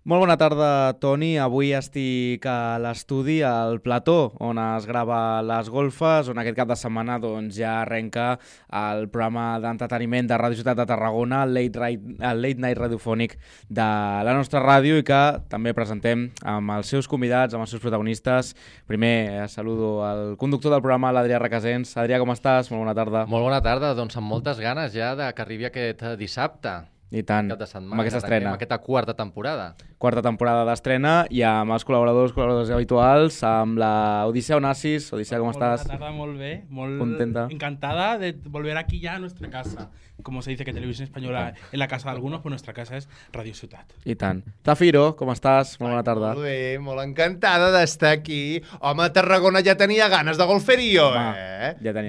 Molt bona tarda, Toni. Avui estic a l'estudi, al plató, on es grava les golfes, on aquest cap de setmana ja arrenca el programa d'entreteniment de Ràdio Ciutat de Tarragona, el Late Night radiofònic de la nostra ràdio, i que també presentem amb els seus convidats, amb els seus protagonistes. Primer saludo al conductor del programa, l'Adrià Requesens. Adrià, com estàs? Molt bona tarda. Molt bona tarda, doncs amb moltes ganes ja que arribi aquest dissabte. I tant, cap de setmana, amb aquesta estrena. Amb aquesta quarta temporada. Quarta temporada d'estrena i amb els col·laboradors habituals, amb la Odissea Onassis. Odissea, com estàs? Buena tarde, molt bé, molt contenta. Encantada de volver aquí ya a nuestra casa. Como se dice que Televisión Española es la casa de algunos, pues nuestra casa es Radio Ciutat. I tant. Zafiro, com estàs? Molt bona tarda. Molt bé, molt encantada d'estar aquí. Home, a Tarragona ja tenia ganes de golferio,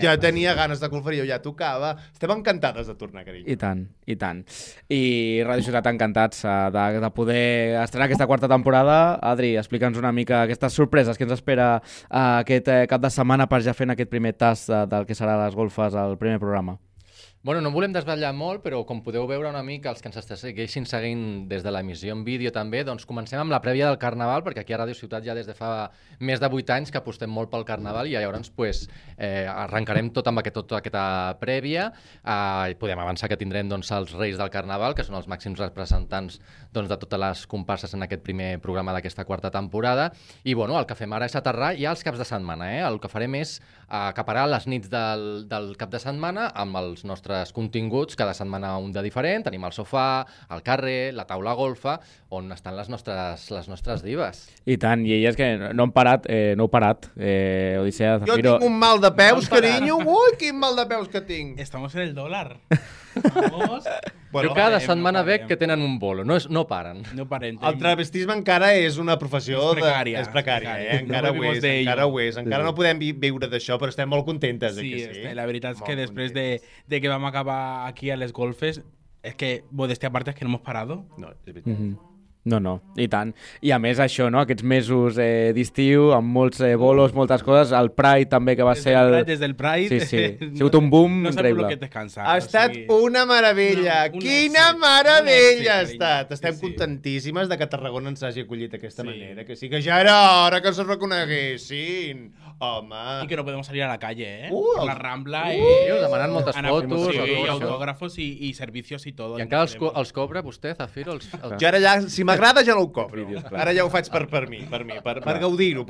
Ja tenia ganes de golferio, ja tocava. Estem encantades de tornar, carinyo. I tant, i tant. I Radio Ciutat encantats de poder estrenar aquesta quarta temporada. Adri, explica'ns una mica aquestes sorpreses que ens espera aquest cap de setmana per ja fent aquest primer tast del que serà les golfes al primer programa. Bueno, no volem desvetllar molt, però com podeu veure una mica, els que ens segueixin seguint des de l'emissió en vídeo també, doncs comencem amb la prèvia del Carnaval, perquè aquí a Ràdio Ciutat ja des de fa més de 8 anys que apostem molt pel Carnaval i llavors arrencarem tot amb aquesta prèvia. Podem avançar que tindrem els Reis del Carnaval, que són els màxims representants de totes les comparses en aquest primer programa d'aquesta quarta temporada. I bueno, el que fem ara és aterrar ja els caps de setmana. El que farem és acaparar les nits del cap de setmana amb els nostres continguts, cada setmana un de diferent. Tenim el sofà, el carrer, la taula golfa, on estan les nostres divas. I tant, i elles que no han parat, Odissea, Zafiro... Jo tinc un mal de peus, carinyo. Ui, quin mal de peus que tinc. Estamos en el dólar. Vamos. Bueno, jo cada setmana veig que tenen un bolo, no paren. No paren. El travestisme encara és una professió... És precària. Encara ho és. Encara no podem viure d'això, però estem molt contentes. Sí, la veritat és que després de que vam acabar aquí a les golfes, és que, modestia aparte, és que no hemos parado. No, és veritat. No, i tant. I a més això, no? Aquests mesos d'estiu, amb molts bolos, moltes coses, el Pride també, que va ser el... Des del Pride... Sí, ha sigut un boom increïble. No sé per què descansar. Ha estat una meravella. Quina meravella ha estat. Estem contentíssimes de que Tarragona ens hagi acollit d'aquesta manera. Que sí que ja era hora que ens reconeguessin. Home... I que no podem salir a la calle, Per la Rambla, demanant moltes fotos, autògrafos i servicios i tot. I encara els cobra vostè, Zafiro? Jo ara ja, si m'agrada ja no ho cobro. Ara ja ho faig per mi, per gaudir-ho.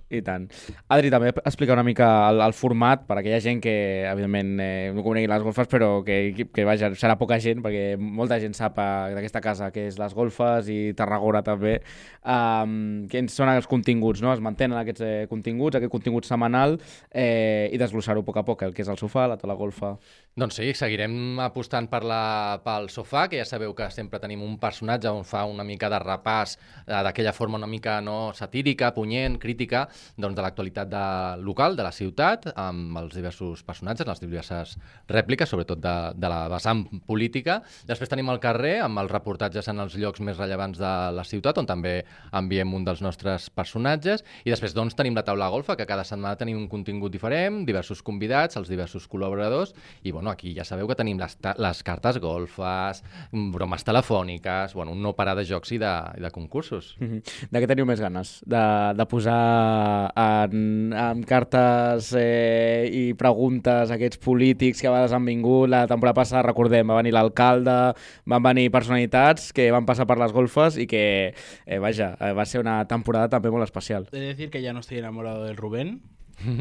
I tant. Adri, també explica una mica el format per a aquella gent que, evidentment, no conegui les golfes, però que vaja, serà poca gent, perquè molta gent sap d'aquesta casa que és les golfes i Tarragona també. Quins són els continguts, no? Es mantenen aquests continguts, aquest contingut setmanal, i desglossar-ho a poc a poc, el que és el sofà, la taula golfa. Doncs sí, seguirem apostant pel sofà, que ja sabeu que sempre tenim un personatge on fa una mica de repàs d'aquella forma una mica satírica, punyent, crítica, de l'actualitat local, de la ciutat, amb els diversos personatges, les diverses rèpliques, sobretot de la vessant política. Després tenim el carrer, amb els reportatges en els llocs més rellevants de la ciutat, on també enviem un dels nostres personatges. I després tenim la taula golfa, que cada setmana tenim un contingut diferent, diversos convidats, els diversos col·laboradors, i aquí ja sabeu que tenim les cartes golfes, bromes telefòniques, un no parar de jocs i de concursos. De què teniu més ganes? De posar en cartes i preguntes a aquests polítics que a vegades han vingut. La temporada passada, recordem, va venir l'alcalde, van venir personalitats que van passar per les golfes i que, va ser una temporada també molt especial. He de decir que ya no estoy enamorado del Rubén.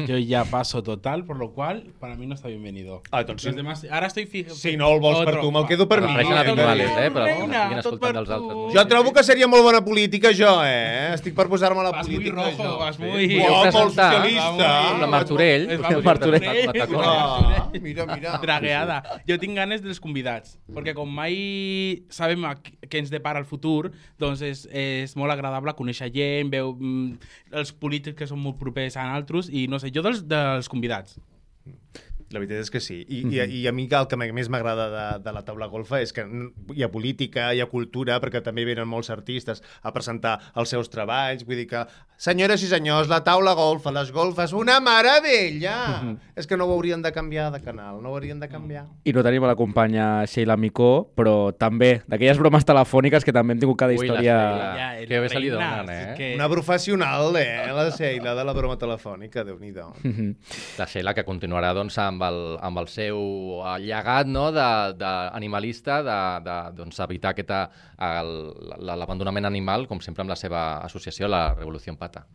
Yo ya paso total, por lo cual para mí no está bienvenido. Doncs Los demás, ara estoy fijo. Si no el vols per tu, me'l quedo per mi. Refereixen habituales, però estiguin escoltant dels altres. Jo trobo que seria molt bona política, jo, Estic per posar-me a la política. Vas muy rojo, vas muy... Molt socialista. La Martorell. Mira. Dragueada. Jo tinc ganes dels convidats, perquè com mai sabem què ens depara el futur, doncs és molt agradable conèixer gent, veu els polítics que són molt propers a altres, i no sé, jo dels convidats. La veritat és que sí. I a mi el que més m'agrada de la taula golfa és que hi ha política, hi ha cultura, perquè també venen molts artistes a presentar els seus treballs. Vull dir que, senyores i senyors, la taula golfa, les golfes, una meravella! És que no ho haurien de canviar de canal, no ho haurien de canviar. I no tenim a la companya Sheila Micó, però també d'aquelles bromes telefòniques que també hem tingut cada història... Que bé se li donen, Que... Una professional, la Sheila de la broma telefònica, Déu-n'hi-do. La Sheila, que continuarà doncs, amb el seu llegat, no? d'animalista, doncs, evitar l'abandonament animal, com sempre amb la seva associació, la Revolució Pata.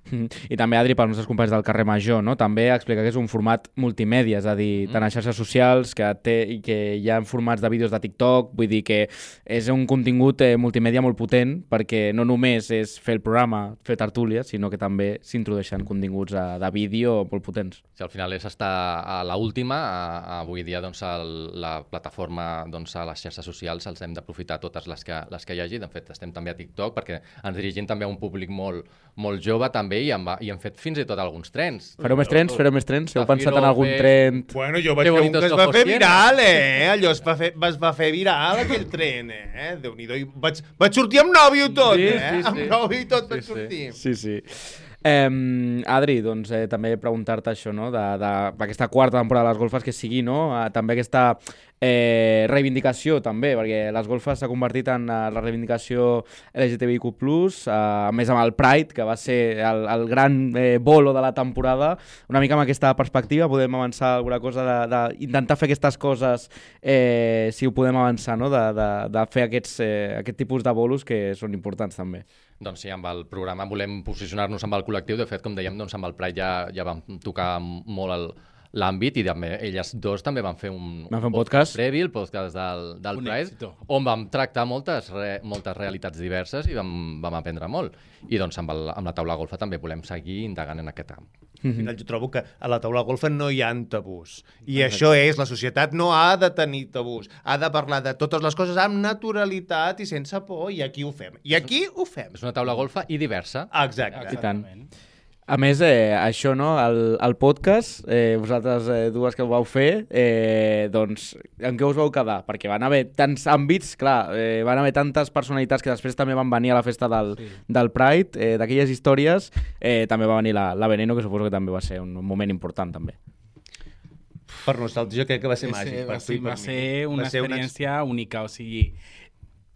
I també, Adri, pels nostres companys del carrer Major, no? També explica que és un format multimèdia, és a dir, tant a xarxes socials i que hi ha formats de vídeos de TikTok, vull dir que és un contingut multimèdia molt potent, perquè no només és fer el programa, fer tertúlies, sinó que també s'introdueixen continguts de vídeo molt potents. Si al final és estar a l'última, avui dia doncs, la plataforma doncs, a les xarxes socials els hem d'aprofitar totes les que hi hagi. De fet, estem també a TikTok perquè ens dirigim també a un públic molt jove també i hem fet fins i tot alguns trens. Fareu més trens? Heu pensat en algun tren? Bueno, jo vaig fer un que es va fer viral, Allò es va fer viral, aquell tren, Déu-n'hi-do. Vaig sortir amb nòvio tot, Amb nòvio i tot vaig sortir. Sí. Adri, doncs també preguntar-te això, no? D'aquesta quarta temporada de les golfes que sigui, no? També aquesta reivindicació també, perquè les golfes s'ha convertit en la reivindicació LGTBIQ+, a més amb el Pride, que va ser el gran bolo de la temporada. Una mica amb aquesta perspectiva podem avançar alguna cosa d'intentar fer aquestes coses, si ho podem avançar, no? De fer aquest tipus de bolos que són importants també. Doncs sí, amb el programa volem posicionar-nos amb el col·lectiu. De fet, com dèiem, doncs amb el Pride ja vam tocar molt l'àmbit i també elles dos també van fer un podcast previ, el podcast del Pride, on vam tractar moltes realitats diverses i vam aprendre molt. I doncs amb la taula golfa també volem seguir indagant en aquest camp. Al final jo trobo que a la taula golfa no hi ha tabús. I això és, la societat no ha de tenir tabús. Ha de parlar de totes les coses amb naturalitat i sense por, i aquí ho fem. És una taula golfa i diversa. Exacte. I tant. A més, això, no? El podcast, vosaltres dues que ho vau fer, doncs, en què us vau quedar? Perquè van haver tants àmbits, clar, van haver tantes personalitats que després també van venir a la festa del Pride, d'aquelles històries, també va venir la Veneno, que suposo que també va ser un moment important, també. Per nosaltres jo crec que va ser màgic. Va ser una experiència única, o sigui,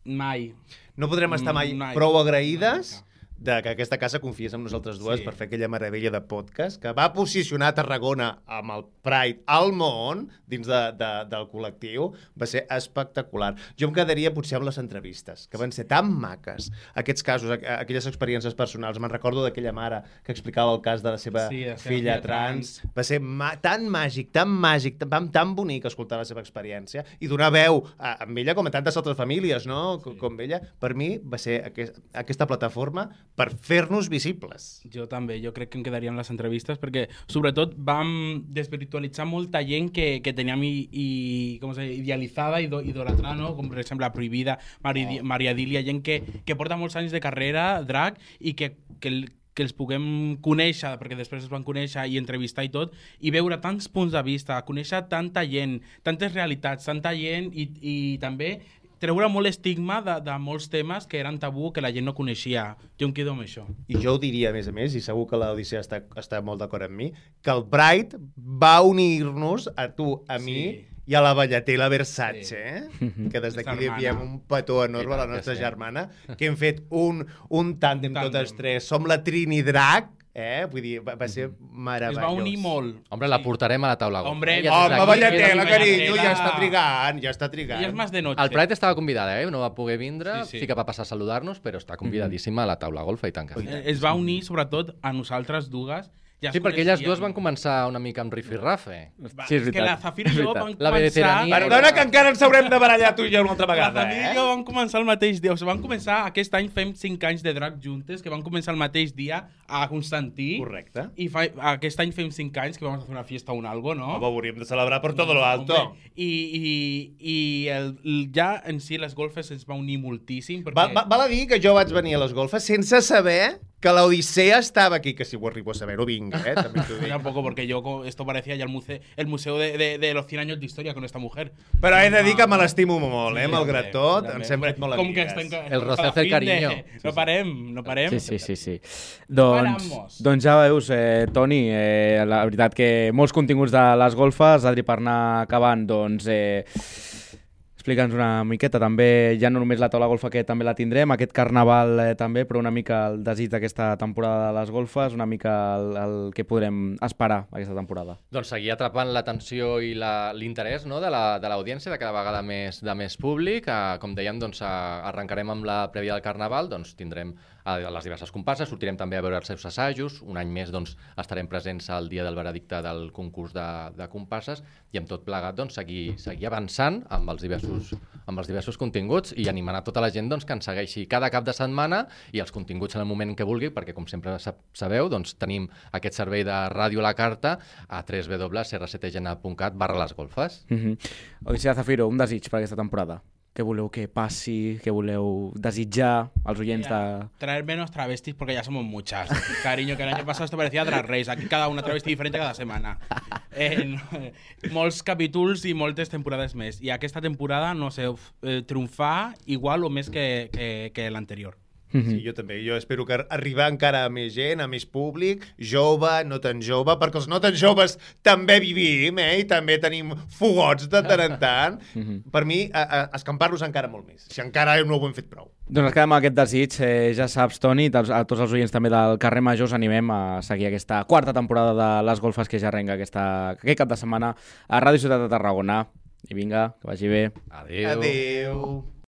mai. No podrem estar mai prou agraïdes que aquesta casa confiés en nosaltres dues per fer aquella meravella de podcast que va posicionar Tarragona amb el Pride al món dins del col·lectiu. Va ser espectacular. Jo em quedaria potser amb les entrevistes, que van ser tan maques. Aquests casos, aquelles experiències personals. Me'n recordo d'aquella mare que explicava el cas de la seva filla trans. Va ser tan màgic, tan bonic escoltar la seva experiència i donar veu a ella com a tantes altres famílies, no? Com ella. Per mi va ser aquesta plataforma per fer-nos visibles. Jo també, jo crec que em quedaria amb les entrevistes perquè, sobretot, vam desvirtualitzar molta gent que teníem idealitzada i idolatrada, no? Com, per exemple, la Prohibida, Maria Dília, gent que porta molts anys de carrera, drag, i que els puguem conèixer, perquè després es van conèixer i entrevistar i tot, i veure tants punts de vista, conèixer tanta gent, tantes realitats, tanta gent i també treure molt estigma de molts temes que eren tabú, que la gent no coneixia. Jo em quedo amb això. I jo ho diria, a més, i segur que l'Odissea està molt d'acord amb mi, que el Pride va unir-nos, a tu, a mi, i a la Ballater i la Versace, que des d'aquí li enviem un petó enorme a la nostra germana, que hem fet un tàndem totes tres. Som la Trini Drac, vull dir, va ser meravellós. Es va unir molt. Home, la portarem a la taula golfa. Home, Ballatela, carinyo, ja està trigant. I és més de noche. El Pride estava convidada, no va poder vindre, sí que va passar a saludar-nos, però està convidadíssima a la taula golfa i tant que sí. Es va unir, sobretot, a nosaltres dues. Sí, perquè elles dues van començar una mica amb rifirrafe. Sí, és veritat. Que la Zafir i jo van començar... Perdona que encara ens haurem de barallar tu i jo una altra vegada, La Zafir i jo van començar el mateix dia. O sigui, van començar, aquest any fem 5 anys de drag juntes, que van començar el mateix dia a Constantí. Correcte. I aquest any fem 5 anys que vam fer una fiesta o un algo, no? Home, hauríem de celebrar per tot lo alto. I ja en si les golfes ens va unir moltíssim. Perquè... Val a dir que jo vaig venir a les golfes sense saber que la Odissea estava aquí, que si ho arribo a saber, ho vinc, també t'ho dic. Tampoco, porque esto parecía ya el museo de los 100 años de historia con esta mujer. Però he de dir que me l'estimo molt, malgrat tot, ens hem fet molt amigues. El roce hace el cariño. No parem. Sí. Doncs ja veus, Toni, la veritat que molts continguts de les golfes, Adri, per anar acabant, doncs... Explica'ns una miqueta, també, ja no només la taula golfa que també la tindrem, aquest carnaval també, però una mica el desig d'aquesta temporada de les golfes, una mica el que podrem esperar aquesta temporada. Doncs seguir atrapant l'atenció i l'interès, no, de l'audiència, de cada vegada de més públic. Com dèiem, doncs, arrencarem amb la prèvia del carnaval, doncs tindrem les diverses comparses, sortirem també a veure els seus assajos, un any més doncs, estarem presents al dia del veredicte del concurs de comparses i amb tot plegat doncs, seguir avançant amb els diversos continguts i animant a tota la gent doncs, que ens segueixi cada cap de setmana i els continguts en el moment que vulgui, perquè com sempre sabeu, doncs, tenim aquest servei de ràdio a la carta a www.crctgn.cat/lesgolfes. Odissea Zafiro, un desig per aquesta temporada. Què voleu que passi? Què voleu desitjar als oients de... Traer menos travestis porque ya somos muchas. Cariño, que el año pasado esto parecía Drag Race. Aquí cada una travesti diferente cada setmana. Molts capítols i moltes temporades més. I aquesta temporada, no sé, triomfar igual o més que l'anterior. Sí, jo també. Jo espero que arribar encara a més gent, a més públic, jove, no tan jove, perquè els no tan joves també vivim, i també tenim fogots de tant en tant. Per mi, escampar-los encara molt més, si encara no ho hem fet prou. Doncs ens quedem amb aquest desig. Ja saps, Toni, a tots els oients també del carrer Major us animem a seguir aquesta quarta temporada de les golfes que ja arrenca aquest cap de setmana a Ràdio Ciutat de Tarragona. I vinga, que vagi bé. Adéu.